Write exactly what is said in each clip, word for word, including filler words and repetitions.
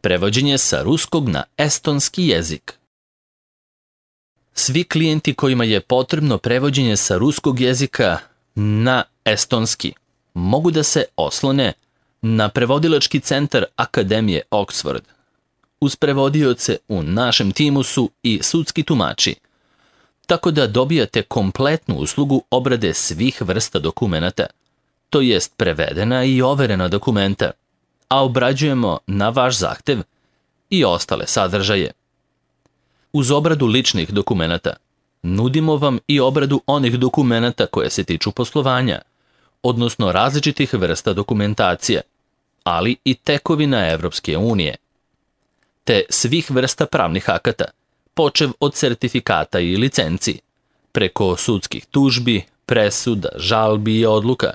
Prevođenje sa ruskog na estonski jezik. Svi klijenti kojima je potrebno prevođenje sa ruskog jezika na estonski mogu da se oslone na prevodilački centar Akademije Oxford. Uz prevodioce u našem timu su i sudski tumači, tako da dobijate kompletnu uslugu obrade svih vrsta dokumenata, to jest prevedena i overena dokumenta, a obrađujemo na vaš zahtev i ostale sadržaje. Uz obradu ličnih dokumenata nudimo vam i obradu onih dokumenata koje se tiču poslovanja, odnosno različitih vrsta dokumentacije, ali i tekovina Evropske unije, te svih vrsta pravnih akata, počev od sertifikata i licenci, preko sudskih tužbi, presuda, žalbi i odluka,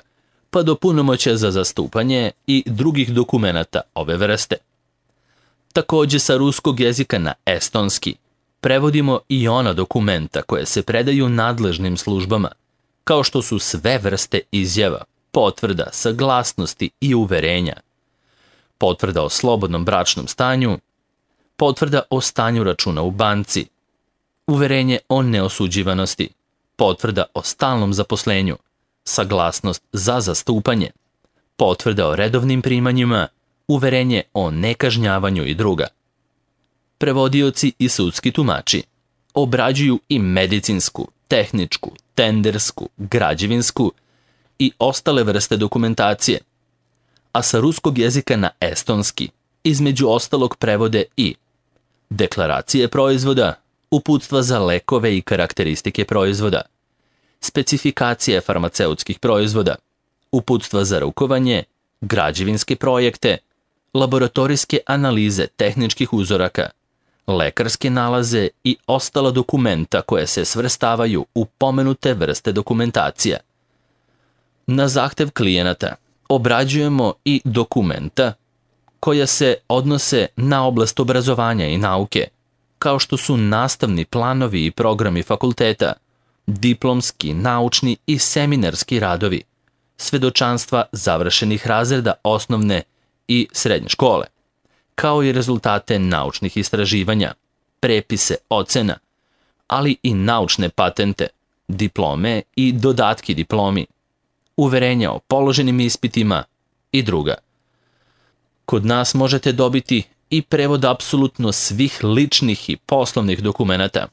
pa do punomoćja za zastupanje i drugih dokumenata ove vrste. Takođe sa ruskog jezika na estonski prevodimo i ona dokumenta koje se predaju nadležnim službama, kao što su sve vrste izjava, potvrda, saglasnosti i uverenja, potvrda o slobodnom bračnom stanju, potvrda o stanju računa u banci, uverenje o neosuđivanosti, potvrda o stalnom zaposlenju, saglasnost za zastupanje, potvrda o redovnim primanjima, uverenje o nekažnjavanju i druga. Prevodioci i sudski tumači obrađuju i medicinsku, tehničku, tendersku, građevinsku i ostale vrste dokumentacije, a sa ruskog jezika na estonski između ostalog prevode i deklaracije proizvoda, uputstva za lekove i karakteristike proizvoda, specifikacije farmaceutskih proizvoda, uputstva za rukovanje, građevinske projekte, laboratorijske analize tehničkih uzoraka, lekarske nalaze i ostala dokumenta koje se svrstavaju u pomenute vrste dokumentacija. Na zahtev klijenata obrađujemo i dokumenta koja se odnose na oblast obrazovanja i nauke, kao što su nastavni planovi i programi fakulteta, diplomski, naučni i seminarski radovi, svedočanstva završenih razreda osnovne i srednje škole, kao i rezultate naučnih istraživanja, prepise ocena, ali i naučne patente, diplome i dodatki diplomi, uverenja o položenim ispitima i druga. Kod nas možete dobiti i prevod apsolutno svih ličnih i poslovnih dokumenata,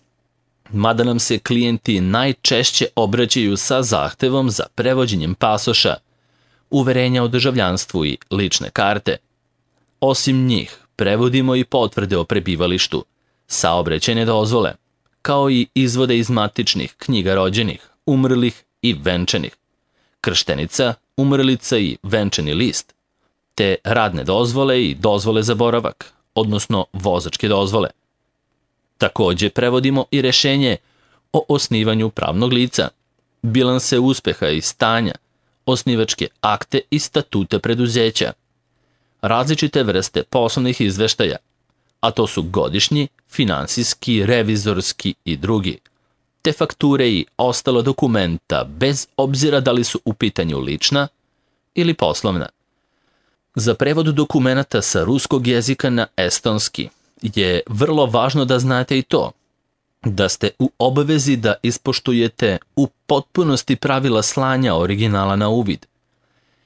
mada nam se klijenti najčešće obraćaju sa zahtevom za prevođenjem pasoša, uverenja o državljanstvu i lične karte. Osim njih, prevodimo i potvrde o prebivalištu, saobraćajne dozvole, kao i izvode iz matičnih knjiga rođenih, umrlih i venčanih, krštenica, umrlica i venčani list, te radne dozvole i dozvole za boravak, odnosno vozačke dozvole. Takođe prevodimo i rešenje o osnivanju pravnog lica, bilanse uspeha i stanja, osnivačke akte i statute preduzeća, različite vrste poslovnih izveštaja, a to su godišnji, finansijski, revizorski i drugi, te fakture i ostalo dokumenta bez obzira da li su u pitanju lična ili poslovna. Za prevod dokumenata sa ruskog jezika na estonski je vrlo važno da znate i to, da ste u obavezi da ispoštujete u potpunosti pravila slanja originala na uvid,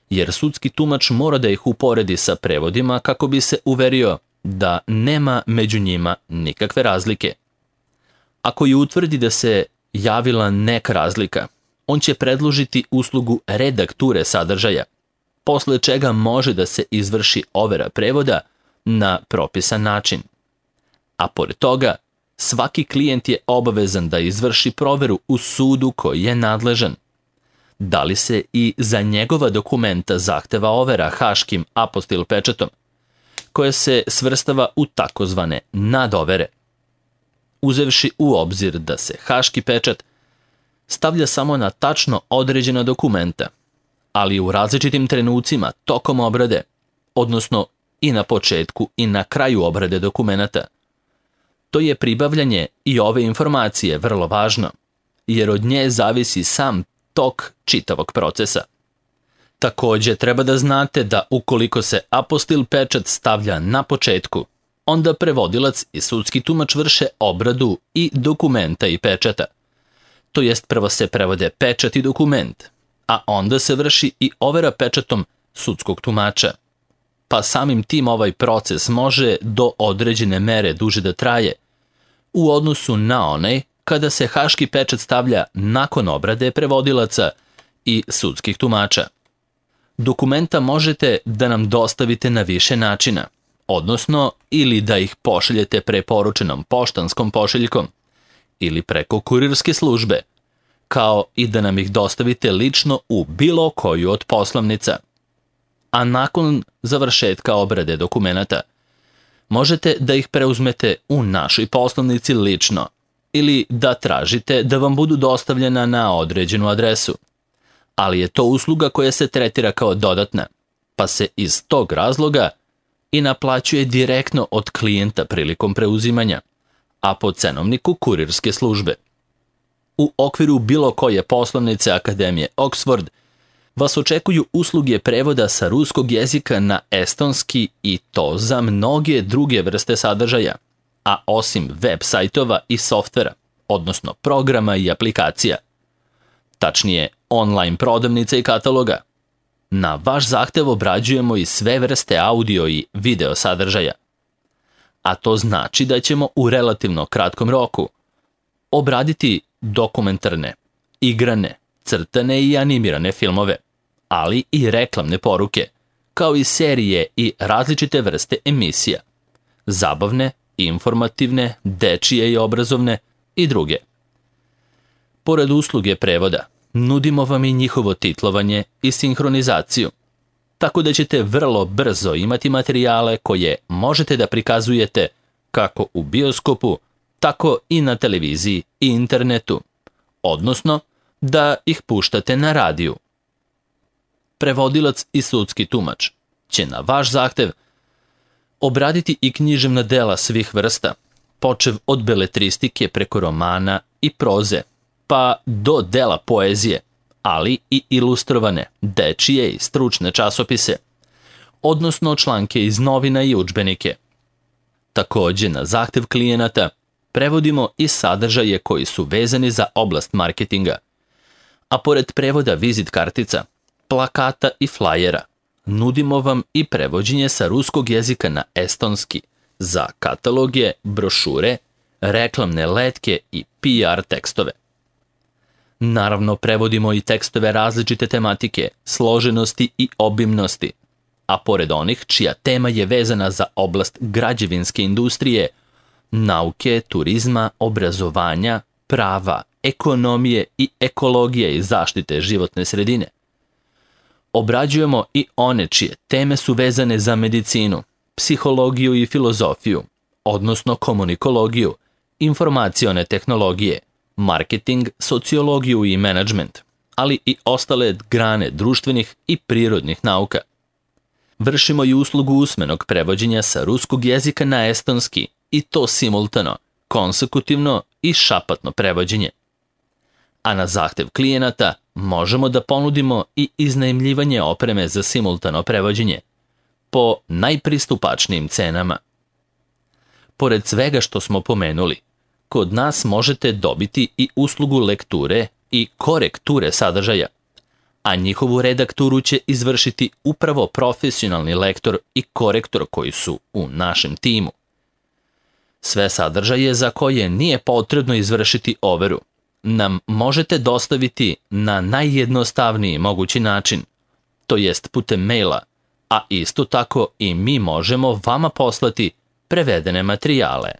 jer sudski tumač mora da ih uporedi sa prevodima kako bi se uverio da nema među njima nikakve razlike. Ako ju utvrdi da se javila neka razlika, on će predložiti uslugu redakture sadržaja, posle čega može da se izvrši overa prevoda na propisan način. A pored toga, svaki klijent je obavezan da izvrši proveru u sudu koji je nadležan. Da li se i za njegova dokumenta zahteva overa haškim apostil pečatom, koja se svrstava u takozvane nadovere. Uzevši u obzir da se haški pečat stavlja samo na tačno određena dokumenta, ali u različitim trenucima tokom obrade, odnosno i na početku i na kraju obrade dokumenata. To je pribavljanje i ove informacije vrlo važno, jer od nje zavisi sam tok čitavog procesa. Takođe, treba da znate da ukoliko se apostil pečat stavlja na početku, onda prevodilac i sudski tumač vrše obradu i dokumenta i pečata. To jest prvo se prevode pečat i dokument, a onda se vrši i overa pečatom sudskog tumača. Pa samim tim ovaj proces može do određene mere duže da traje, u odnosu na onaj kada se haški pečat stavlja nakon obrade prevodilaca i sudskih tumača. Dokumenta možete da nam dostavite na više načina, odnosno ili da ih pošaljete preporučenom poštanskom pošiljkom ili preko kurirske službe, kao i da nam ih dostavite lično u bilo koju od poslovnica. A nakon završetka obrade dokumenata, možete da ih preuzmete u našoj poslovnici lično ili da tražite da vam budu dostavljena na određenu adresu. Ali je to usluga koja se tretira kao dodatna, pa se iz tog razloga i naplaćuje direktno od klijenta prilikom preuzimanja, a po cenovniku kurirske službe. U okviru bilo koje poslovnice Akademije Oxford vas očekuju usluge prevoda sa ruskog jezika na estonski i to za mnoge druge vrste sadržaja, a osim web sajtova i softvera, odnosno programa i aplikacija. Tačnije, online prodavnica i kataloga. Na vaš zahtev obrađujemo i sve vrste audio i video sadržaja. A to znači da ćemo u relativno kratkom roku obraditi dokumentarne, igrane, crtane i animirane filmove, ali i reklamne poruke, kao i serije i različite vrste emisija, zabavne, informativne, dečije i obrazovne i druge. Pored usluge prevoda, nudimo vam i njihovo titlovanje i sinhronizaciju, tako da ćete vrlo brzo imati materijale koje možete da prikazujete kako u bioskopu, tako i na televiziji i internetu, odnosno da ih puštate na radiju. Prevodilac i sudski tumač će na vaš zahtev obraditi i književna dela svih vrsta, počev od beletristike preko romana i proze, pa do dela poezije, ali i ilustrovane, dečije i stručne časopise, odnosno članke iz novina i udžbenike. Takođe, na zahtev klijenata prevodimo i sadržaje koji su vezani za oblast marketinga, a pored prevoda vizit kartica, plakata i flajera, nudimo vam i prevođenje sa ruskog jezika na estonski za kataloge, brošure, reklamne letke i P R tekstove. Naravno, prevodimo i tekstove različite tematike, složenosti i obimnosti, a pored onih čija tema je vezana za oblast građevinske industrije, nauke, turizma, obrazovanja, prava, ekonomije i ekologije i zaštite životne sredine. Obrađujemo i one čije teme su vezane za medicinu, psihologiju i filozofiju, odnosno komunikologiju, informacione tehnologije, marketing, sociologiju i menadžment, ali i ostale grane društvenih i prirodnih nauka. Vršimo i uslugu usmenog prevođenja sa ruskog jezika na estonski i to simultano, konsekutivno i šapatno prevođenje. A na zahtev klijenata možemo da ponudimo i iznajmljivanje opreme za simultano prevođenje po najpristupačnijim cenama. Pored svega što smo pomenuli, kod nas možete dobiti i uslugu lekture i korekture sadržaja, a njihovu redakturu će izvršiti upravo profesionalni lektor i korektor koji su u našem timu. Sve sadržaje za koje nije potrebno izvršiti overu nam možete dostaviti na najjednostavniji mogući način, to jest putem maila, a isto tako i mi možemo vama poslati prevedene materijale.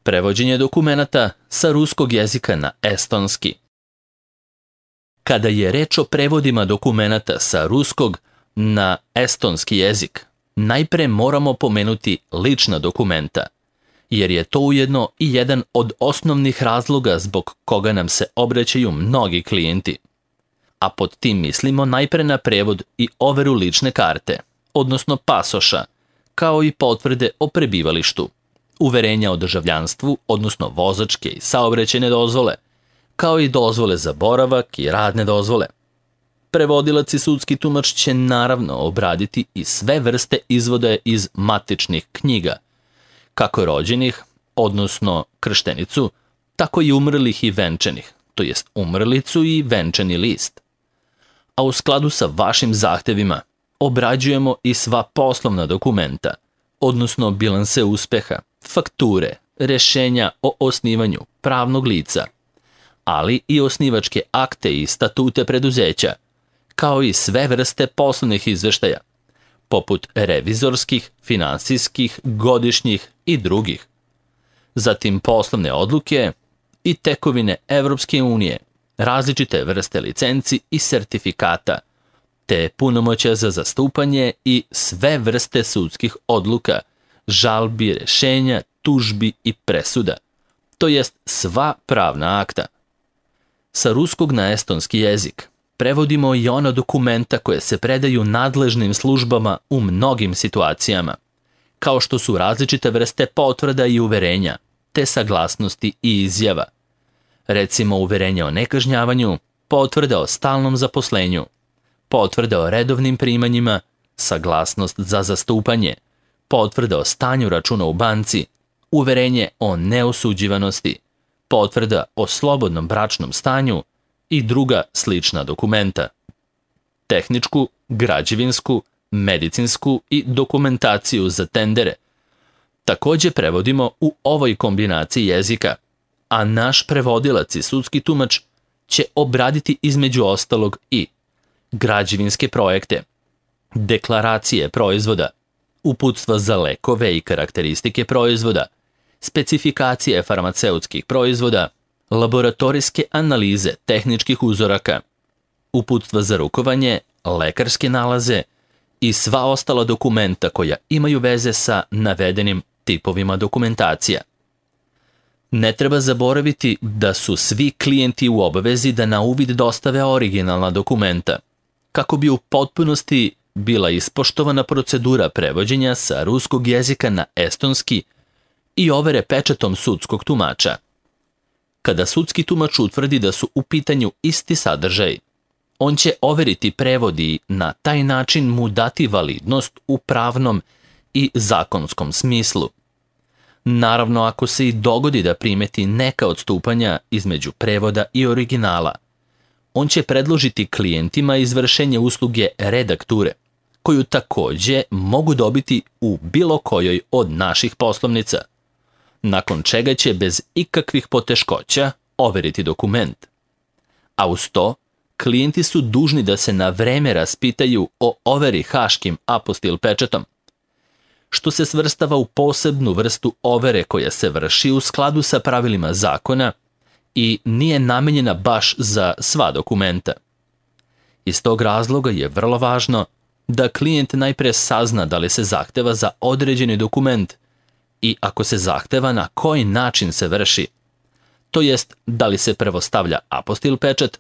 Prevođenje dokumenata sa ruskog jezika na estonski. Kada je reč o prevodima dokumenata sa ruskog na estonski jezik, najpre moramo pomenuti lična dokumenta, jer je to ujedno i jedan od osnovnih razloga zbog koga nam se obraćaju mnogi klijenti. A pod tim mislimo najpre na prevod i overu lične karte, odnosno pasoša, kao i potvrde o prebivalištu, uverenja o državljanstvu, odnosno vozačke i saobraćajne dozvole, kao i dozvole za boravak i radne dozvole. Prevodilac i sudski tumač će naravno obraditi i sve vrste izvoda iz matičnih knjiga, kako rođenih, odnosno krštenicu, tako i umrlih i venčanih, to jest umrlicu i venčani list. A u skladu sa vašim zahtevima obrađujemo i sva poslovna dokumenta, odnosno bilanse uspeha, fakture, rešenja o osnivanju pravnog lica, ali i osnivačke akte i statute preduzeća, kao i sve vrste poslovnih izveštaja, poput revizorskih, finansijskih, godišnjih i drugih. Zatim poslovne odluke i tekovine Evropske unije, različite vrste licenci i sertifikata, te punomoćja za zastupanje i sve vrste sudskih odluka, žalbi, rešenja, tužbi i presuda, to jest sva pravna akta. Sa ruskog na estonski jezik prevodimo i ona dokumenta koje se predaju nadležnim službama u mnogim situacijama, kao što su različite vrste potvrda i uverenja, te saglasnosti i izjava. Recimo uverenje o nekažnjavanju, potvrda o stalnom zaposlenju, potvrda o redovnim primanjima, saglasnost za zastupanje, potvrda o stanju računa u banci, uverenje o neosuđivanosti, potvrda o slobodnom bračnom stanju i druga slična dokumenta. Tehničku, građevinsku, medicinsku i dokumentaciju za tendere takođe prevodimo u ovoj kombinaciji jezika, a naš prevodilac i sudski tumač će obraditi između ostalog i građevinske projekte, deklaracije proizvoda, uputstva za lekove i karakteristike proizvoda, specifikacije farmaceutskih proizvoda, laboratorijske analize tehničkih uzoraka, uputstva za rukovanje, lekarske nalaze i sva ostala dokumenta koja imaju veze sa navedenim tipovima dokumentacija. Ne treba zaboraviti da su svi klijenti u obavezi da na uvid dostave originalna dokumenta, kako bi u potpunosti bila ispoštovana procedura prevođenja sa ruskog jezika na estonski i overe pečatom sudskog tumača. Kada sudski tumač utvrdi da su u pitanju isti sadržaj, on će overiti prevod i na taj način mu dati validnost u pravnom i zakonskom smislu. Naravno, ako se i dogodi da primeti neka odstupanja između prevoda i originala, on će predložiti klijentima izvršenje usluge redakture, koju takođe mogu dobiti u bilo kojoj od naših poslovnica, nakon čega će bez ikakvih poteškoća overiti dokument. A uz to, klijenti su dužni da se na vreme raspitaju o overi haškim apostil pečatom, što se svrstava u posebnu vrstu overe koja se vrši u skladu sa pravilima zakona i nije namenjena baš za sva dokumenta. Iz tog razloga je vrlo važno da klijent najpre sazna da li se zahteva za određeni dokument i ako se zahteva na koji način se vrši, to jest da li se prvo stavlja apostil pečat,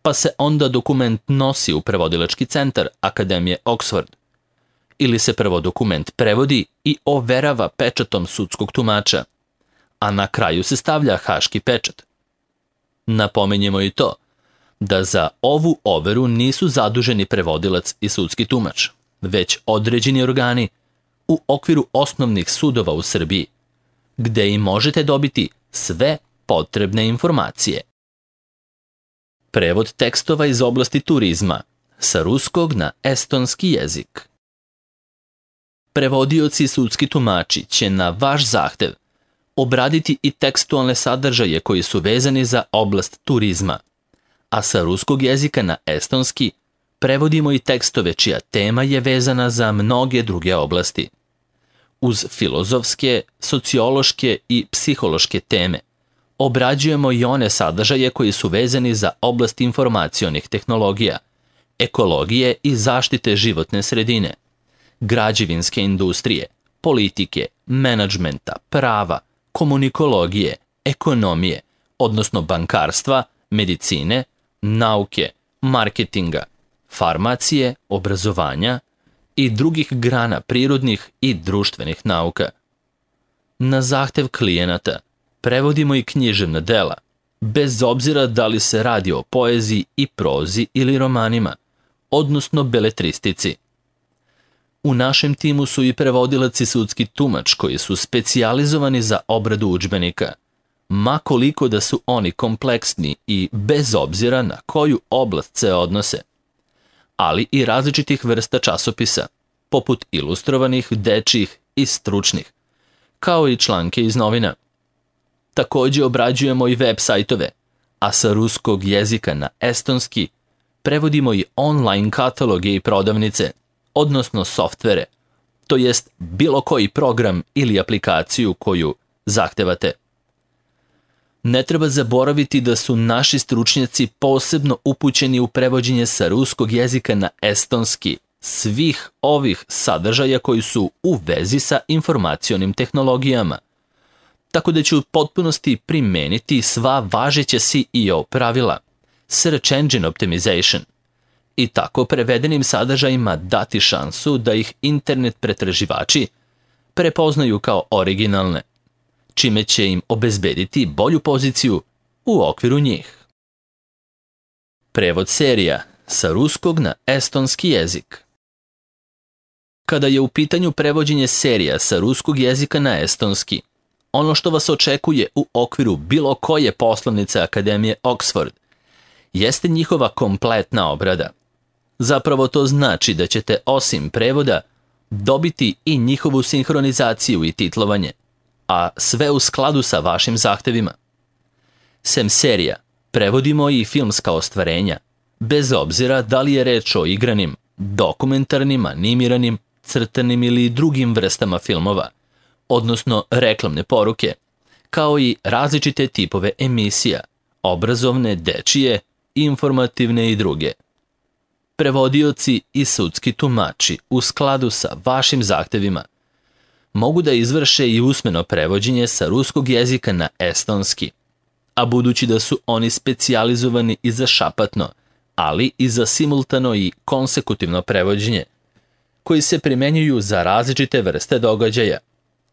pa se onda dokument nosi u prevodilački centar Akademije Oxford, ili se prvo dokument prevodi i overava pečatom sudskog tumača, a na kraju se stavlja haški pečat. Napomenjemo i to da za ovu overu nisu zaduženi prevodilac i sudski tumač, već određeni organi u okviru osnovnih sudova u Srbiji, gde i možete dobiti sve potrebne informacije. Prevod tekstova iz oblasti turizma sa ruskog na estonski jezik. Prevodioci i sudski tumači će na vaš zahtev obraditi i tekstualne sadržaje koji su vezani za oblast turizma, a sa ruskog jezika na estonski prevodimo i tekstove čija tema je vezana za mnoge druge oblasti. Uz filozofske, sociološke i psihološke teme obrađujemo i one sadržaje koji su vezani za oblast informacionih tehnologija, ekologije i zaštite životne sredine, građevinske industrije, politike, menadžmenta, prava, komunikologije, ekonomije, odnosno bankarstva, medicine, nauke, marketinga, farmacije, obrazovanja i drugih grana prirodnih i društvenih nauka. Na zahtev klijenata prevodimo i književna dela, bez obzira da li se radi o poeziji i prozi ili romanima, odnosno beletristici. U našem timu su i prevodilac i sudski tumač koji su specijalizovani za obradu udžbenika, ma koliko da su oni kompleksni i bez obzira na koju oblast se odnose, ali i različitih vrsta časopisa, poput ilustrovanih, dečjih i stručnih, kao i članke iz novina. Također obrađujemo i web sajtove, a sa ruskog jezika na estonski prevodimo i online kataloge i prodavnice, odnosno softvere, to jest bilo koji program ili aplikaciju koju zahtevate. Ne treba zaboraviti da su naši stručnjaci posebno upućeni u prevođenje sa ruskog jezika na estonski svih ovih sadržaja koji su u vezi sa informacionim tehnologijama, tako da ću u potpunosti primeniti sva važeća S E O pravila, Search Engine Optimization, i tako prevedenim sadržajima dati šansu da ih internet pretraživači prepoznaju kao originalne, čime će im obezbediti bolju poziciju u okviru njih. Prevod serija sa ruskog na estonski jezik. Kada je u pitanju prevođenje serija sa ruskog jezika na estonski, ono što vas očekuje u okviru bilo koje poslovnice Akademije Oxford jeste njihova kompletna obrada. Zapravo to znači da ćete osim prevoda dobiti i njihovu sinhronizaciju i titlovanje, a sve u skladu sa vašim zahtevima. Sem serija, prevodimo i filmska ostvarenja, bez obzira da li je reč o igranim, dokumentarnim, animiranim, crtanim ili drugim vrstama filmova, odnosno reklamne poruke, kao i različite tipove emisija, obrazovne, dečije, informativne i druge. Prevodioci i sudski tumači u skladu sa vašim zahtevima mogu da izvrše i usmeno prevođenje sa ruskog jezika na estonski, a budući da su oni specijalizovani i za šapatno, ali i za simultano i konsekutivno prevođenje, koji se primenjuju za različite vrste događaja,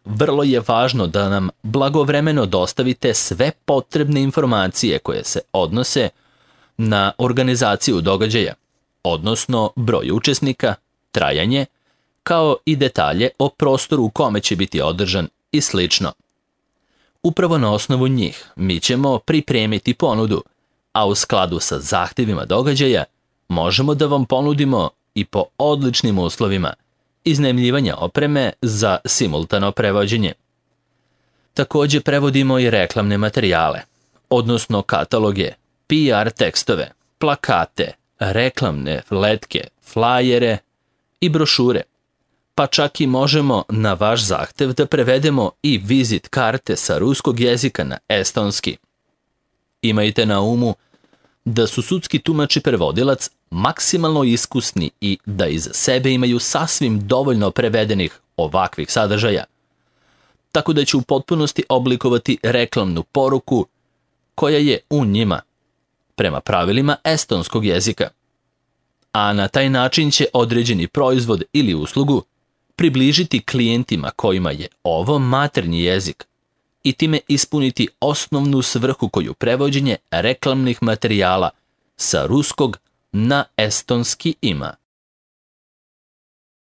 vrlo je važno da nam blagovremeno dostavite sve potrebne informacije koje se odnose na organizaciju događaja, odnosno broj učesnika, trajanje, kao i detalje o prostoru u kome će biti održan i slično. Upravo na osnovu njih mi ćemo pripremiti ponudu, a u skladu sa zahtjevima događaja možemo da vam ponudimo i po odličnim uslovima iznajmljivanja opreme za simultano prevođenje. Također prevodimo i reklamne materijale, odnosno kataloge, P R tekstove, plakate, reklamne letke, flajere i brošure, pa čak i možemo na vaš zahtev da prevedemo i vizit karte sa ruskog jezika na estonski. Imajte na umu da su sudski tumač i prevodilac maksimalno iskusni i da iza sebe imaju sasvim dovoljno prevedenih ovakvih sadržaja, tako da će u potpunosti oblikovati reklamnu poruku koja je u njima, prema pravilima estonskog jezika. A na taj način će određeni proizvod ili uslugu približiti klijentima kojima je ovo maternji jezik i time ispuniti osnovnu svrhu koju prevođenje reklamnih materijala sa ruskog na estonski ima.